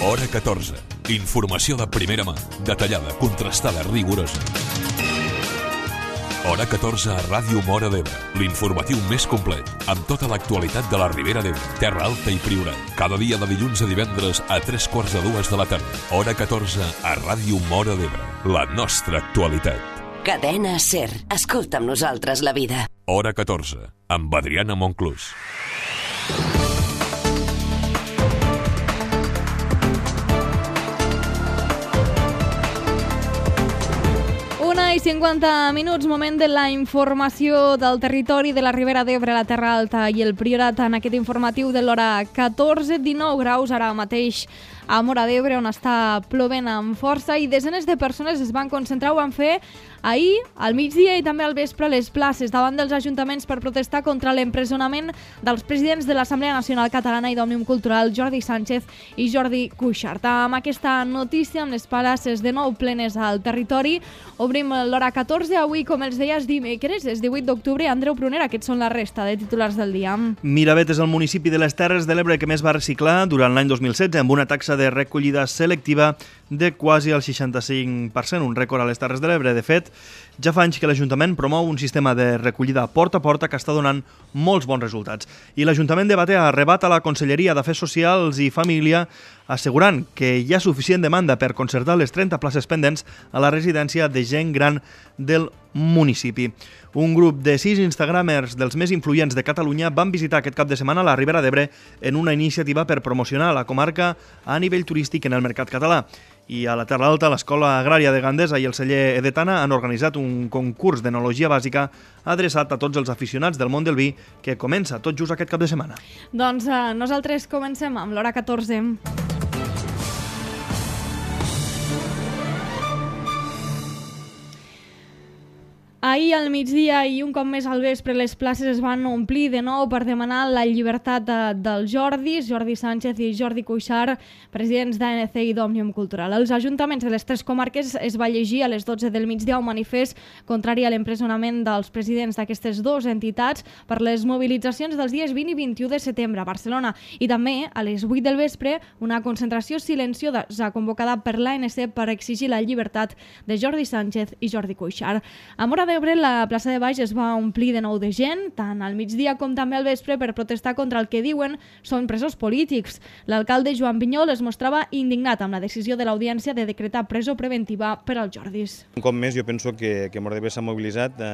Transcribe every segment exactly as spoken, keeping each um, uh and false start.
Hora catorze. Informació de primera mà, detallada, contrastada, rigorosa. Hora catorze a Ràdio Móra d'Ebre, l'informatiu més complet, amb tota l'actualitat de la Ribera d'Ebre, Terra Alta i Priorat. Cada dia de dilluns a divendres a tres quarts de dues de la tarda. Hora catorze a Ràdio Móra d'Ebre, la nostra actualitat. Cadena SER. Escolta amb nosaltres la vida. Hora catorze, amb Adriana Monclús. una i cinquanta minuts, moment de la informació del territori de la Ribera d'Ebre, la Terra Alta i el Priorat en aquest informatiu de l'hora catorze, dinou graus ara mateix a Móra d'Ebre, on està plovent amb força, i desenes de persones es van concentrar, ho van fer ahir, al migdia i també al vespre a les places davant dels ajuntaments per protestar contra l'empresonament dels presidents de l'Assemblea Nacional Catalana i d'Òmnium Cultural, Jordi Sánchez i Jordi Cuixart. Amb aquesta notícia, amb les places de nou plenes al territori, obrim l'hora catorze, avui, com els deies, dimecres, és divuit d'octubre. Andreu Prunera, aquests són la resta de titulars del dia. Miravet és el municipi de les Terres de l'Ebre que més va reciclar durant l'any dos mil setze, amb una taxa de recollida selectiva de quasi el seixanta-cinc per cent, un rècord a les Terres de l'Ebre. De fet, ja fa anys que l'Ajuntament promou un sistema de recollida porta a porta que està donant molts bons resultats. I l'Ajuntament de Batea ha arrebat a la Conselleria d'Afers Socials i Família assegurant que hi ha suficient demanda per concertar les trenta places pendents a la residència de gent gran del municipi. Un grup de sis instagramers dels més influents de Catalunya van visitar aquest cap de setmana la Ribera d'Ebre en una iniciativa per promocionar la comarca a nivell turístic en el mercat català. I a la Terra Alta, l'Escola Agrària de Gandesa i el celler Edetana han organitzat un concurs d'enologia bàsica adreçat a tots els aficionats del món del vi que comença tot just aquest cap de setmana. Doncs eh, nosaltres comencem amb l'hora catorze. Ahir al migdia i un cop més al vespre les places es van omplir de nou per demanar la llibertat de, dels Jordis, Jordi Sánchez i Jordi Cuixart, presidents d'A N C i d'Òmnium Cultural. Els ajuntaments de les tres comarques es va llegir a les dotze del migdia un manifest contrari a l'empresonament dels presidents d'aquestes dues entitats per les mobilitzacions dels dies vint i vint-i-u de setembre a Barcelona. I també a les vuit del vespre una concentració silenciosa convocada per l'A N C per exigir la llibertat de Jordi Sánchez i Jordi Cuixart. A Móra d'Ebre, la plaça de Baix es va omplir de nou de gent, tant al migdia com també al vespre, per protestar contra el que diuen són presos polítics. L'alcalde Joan Pinyol es mostrava indignat amb la decisió de l'Audiència de decretar presó preventiva per als Jordis. Un cop més, jo penso que, que Móra d'Ebre s'ha mobilitzat eh,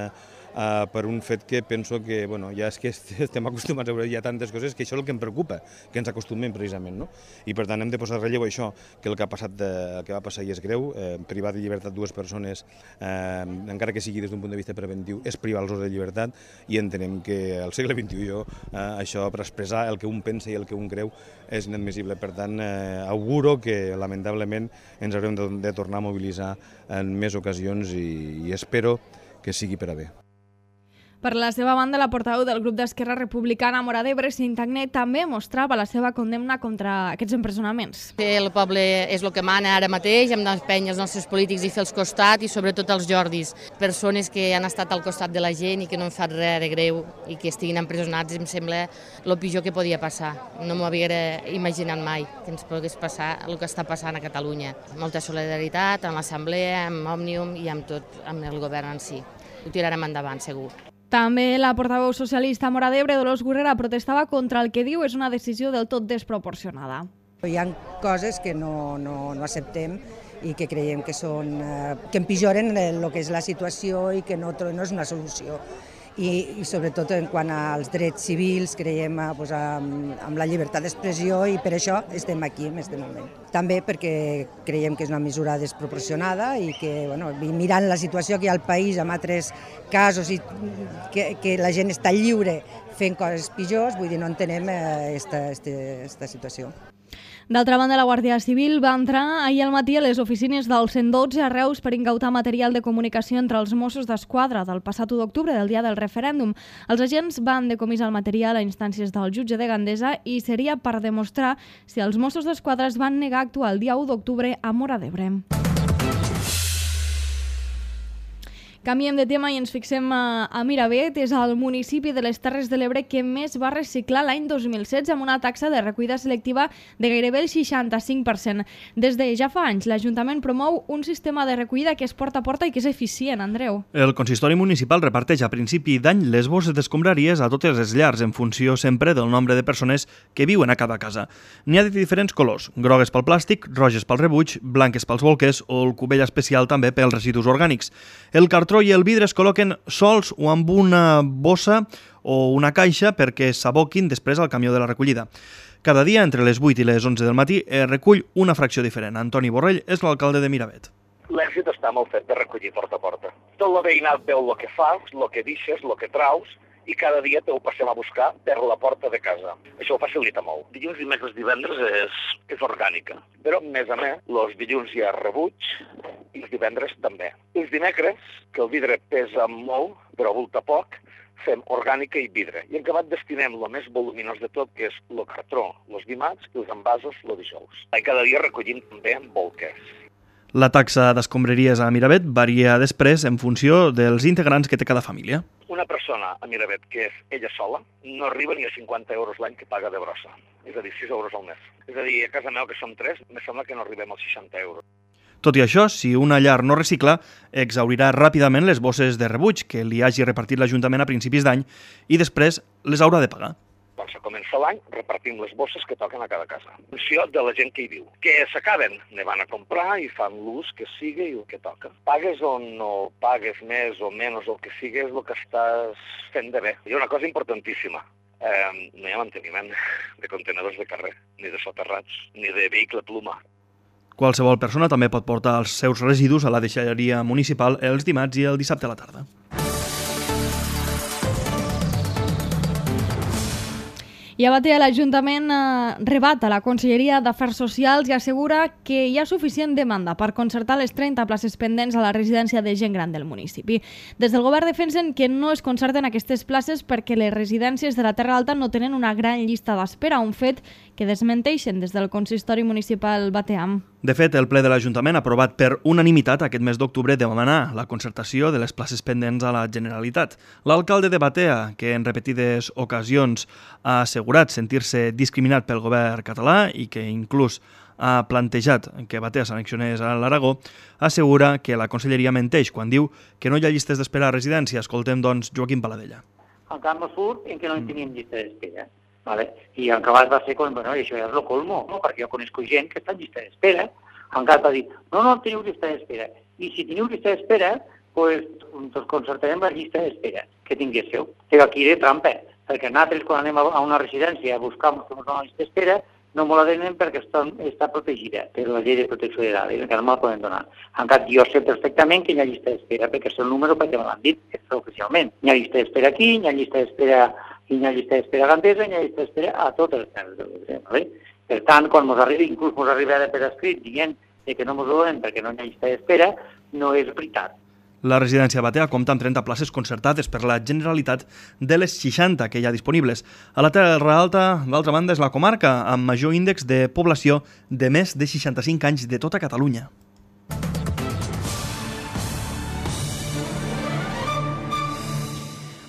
Uh, per un fet que penso que, bueno, ja és que estem acostumats a veure ja tantes coses que això és el que em preocupa, que ens acostumem precisament, no? I per tant hem de posar relleu això, que el que ha passat, de, el que va passar i és greu, eh, privar de llibertat dues persones, eh, encara que sigui des d'un punt de vista preventiu, és privar-los de llibertat, i entenem que al segle vint-i-u jo, eh, això per expressar el que un pensa i el que un creu és inadmissible. Per tant, eh, auguro que lamentablement ens haurem de, de tornar a mobilitzar en més ocasions i, i espero que sigui per a bé. Per la seva banda, la portaveu del grup d'Esquerra Republicana a Móra d'Ebre, Sintagné, també mostrava la seva condemna contra aquests empresonaments. El poble és el que mana ara mateix, hem d'empènyer els nostres polítics i fer els costat, i sobretot els Jordis, persones que han estat al costat de la gent i que no han fet res de greu i que estiguin empresonats, em sembla el pitjor que podia passar. No m'ho havia imaginat mai que ens pogués passar el que està passant a Catalunya. Molta solidaritat amb l'Assemblea, amb Òmnium i amb tot, amb el govern en si. Ho tirarem endavant, segur. També la portaveu socialista a Móra d'Ebre, Dolors Gurrera, protestava contra el que diu és una decisió del tot desproporcionada. Hi ha coses que no, no, no acceptem i que creiem que, són, que empitjoren el que és la situació i que no, no és una solució. I, i sobretot en quant als drets civils creiem pues, amb, amb la llibertat d'expressió, i per això estem aquí en aquest moment. També perquè creiem que és una mesura desproporcionada i que, bueno, mirant la situació que hi ha al país amb altres casos i que, que la gent està lliure fent coses pitjors, vull dir, no entenem aquesta situació. D'altra banda, la Guàrdia Civil va entrar ahir al matí a les oficines del cent dotze a Reus per incautar material de comunicació entre els Mossos d'Esquadra del passat u d'octubre, del dia del referèndum. Els agents van decomissar el material a instàncies del jutge de Gandesa i seria per demostrar si els Mossos d'Esquadra es van negar a actuar el dia u d'octubre a Móra d'Ebre. Canviem de tema i ens fixem a, a Miravet. És el municipi de les Terres de l'Ebre que més va reciclar l'any dos mil setze amb una taxa de recollida selectiva de gairebé el seixanta-cinc per cent. Des de ja fa anys, l'Ajuntament promou un sistema de recollida que és porta a porta i que és eficient, Andreu. El consistori municipal reparteix a principi d'any les bosses d'escombraries a totes les llars en funció sempre del nombre de persones que viuen a cada casa. N'hi ha de diferents colors, grogues pel plàstic, roges pel rebuig, blanques pels bolquers o el cubell especial també pels residus orgànics. El cartró i el vidre es col·loquen sols o amb una bossa o una caixa perquè s'aboquin després al camió de la recollida. Cada dia, entre les vuit i les onze del matí, es recull una fracció diferent. Antoni Borrell és l'alcalde de Miravet. L'èxit està en el fet de recollir porta a porta. Tot el veïnat veu el que fas, el que deixes, el que traus, i cada dia te ho passem a buscar per la porta de casa. Això ho facilita molt. Dilluns, dimecres, divendres és, és orgànica. Però, a més a més, els dilluns hi ha rebuig i els divendres també. Els dimecres, que el vidre pesa molt, però volta poc, fem orgànica i vidre. I en acabat destinem el més voluminós de tot, que és el cartró, els dimarts i els envasos el dijous. I cada dia recollim també bolquers. La taxa d'escombraries a Miravet varia després en funció dels integrants que té cada família. Una persona a Miravet que és ella sola no arriba ni a cinquanta euros l'any que paga de brossa. És a dir, sis euros al mes. És a dir, a casa meva, que som tres, me sembla que no arribem als seixanta euros. Tot i això, si una llar no recicla, exhaurirà ràpidament les bosses de rebuig que li hagi repartit l'Ajuntament a principis d'any i després les haurà de pagar. Quan se comença l'any, repartim les bosses que toquen a cada casa. En funció de la gent que hi viu. Que s'acaben, ne van a comprar i fan l'ús que sigui i el que toca. Pagues o no pagues més o menys el que sigui, és el que estàs fent de bé. Hi ha una cosa importantíssima. Eh, no hi ha manteniment de contenedors de carrer, ni de soterrats, ni de vehicle pluma. Qualsevol persona també pot portar els seus residus a la deixalleria municipal els dimarts i el dissabte a la tarda. I a Batea l'Ajuntament eh, rebata la Conselleria d'Afers Socials i assegura que hi ha suficient demanda per concertar les trenta places pendents a la residència de gent gran del municipi. Des del govern defensen que no es concerten aquestes places perquè les residències de la Terra Alta no tenen una gran llista d'espera, un fet que desmenteixen des del consistori municipal bateam. De fet, el ple de l'Ajuntament ha aprovat per unanimitat aquest mes d'octubre demanar la concertació de les places pendents a la Generalitat. L'alcalde de Batea, que en repetides ocasions ha assegurat sentir-se discriminat pel govern català i que inclús ha plantejat que Batea s'annexionés a l'Aragó, assegura que la Conselleria menteix quan diu que no hi ha llistes d'espera a residència. Escoltem, doncs, Joaquim Paladella. El camp no surt en què no en teníem llista d'espera. Vale. I en acabat va ser com, bueno, això ja és el colmo, no? Perquè jo coneixo gent que està en llista d'espera. En acabat va dir, no, no teniu llista d'espera. I si teniu llista d'espera, pues, doncs concertarem la llista d'espera que tinguéssiu. Però aquí de trampa, perquè nosaltres quan anem a una residència a buscar una llista d'espera, no me la donen perquè està, està protegida per la llei de protecció de dades, que no me la poden donar. En cap, jo sé perfectament que hi ha llista d'espera, perquè és el número perquè me l'han dit oficialment. Hi ha llista d'espera aquí, hi ha llista d'espera i hi ha llista d'espera Gandesa, hi ha llista d'espera a totes les terres de l'Ebre. Vale? Per tant, quan ens arriba, inclús ens arriba per escrit dient que no ens ho donen perquè no hi ha llista d'espera, no és veritat. La residència Batea compta amb trenta places concertades per la Generalitat de les seixanta que hi ha disponibles. A la Terra Alta, d'altra banda, és la comarca amb major índex de població de més de seixanta-cinc anys de tota Catalunya.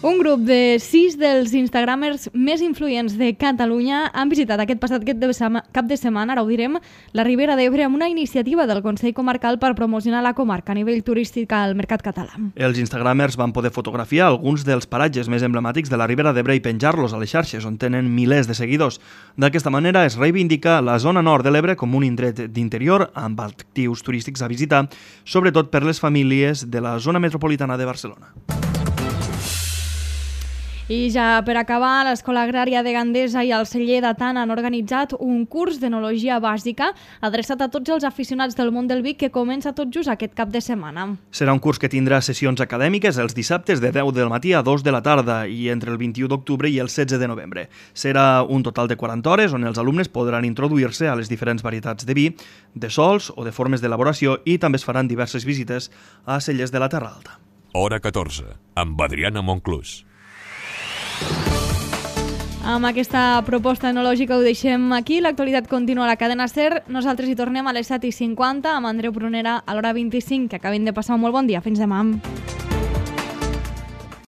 Un grup de sis dels instagramers més influents de Catalunya han visitat aquest passat cap de setmana, ara ho direm, la Ribera d'Ebre amb una iniciativa del Consell Comarcal per promocionar la comarca a nivell turístic al mercat català. Els instagramers van poder fotografiar alguns dels paratges més emblemàtics de la Ribera d'Ebre i penjar-los a les xarxes, on tenen milers de seguidors. D'aquesta manera es reivindica la zona nord de l'Ebre com un indret d'interior amb actius turístics a visitar, sobretot per les famílies de la zona metropolitana de Barcelona. I ja per acabar, l'Escola Agrària de Gandesa i el Celler de Tant han organitzat un curs d'enologia bàsica adreçat a tots els aficionats del món del vi que comença tot just aquest cap de setmana. Serà un curs que tindrà sessions acadèmiques els dissabtes de deu del matí a dos de la tarda i entre el vint-i-u d'octubre i el setze de novembre. Serà un total de quaranta hores on els alumnes podran introduir-se a les diferents varietats de vi, de sols o de formes d'elaboració i també es faran diverses visites a cellers de la Terra Alta. Hora catorze, amb Adriana Monclús. Amb aquesta proposta enològica ho deixem aquí. L'actualitat continua a la cadena SER. Nosaltres hi tornem a les set i cinquanta amb Andreu Prunera a l'hora vint-i-cinc, que acabin de passar un molt bon dia. Fins demà.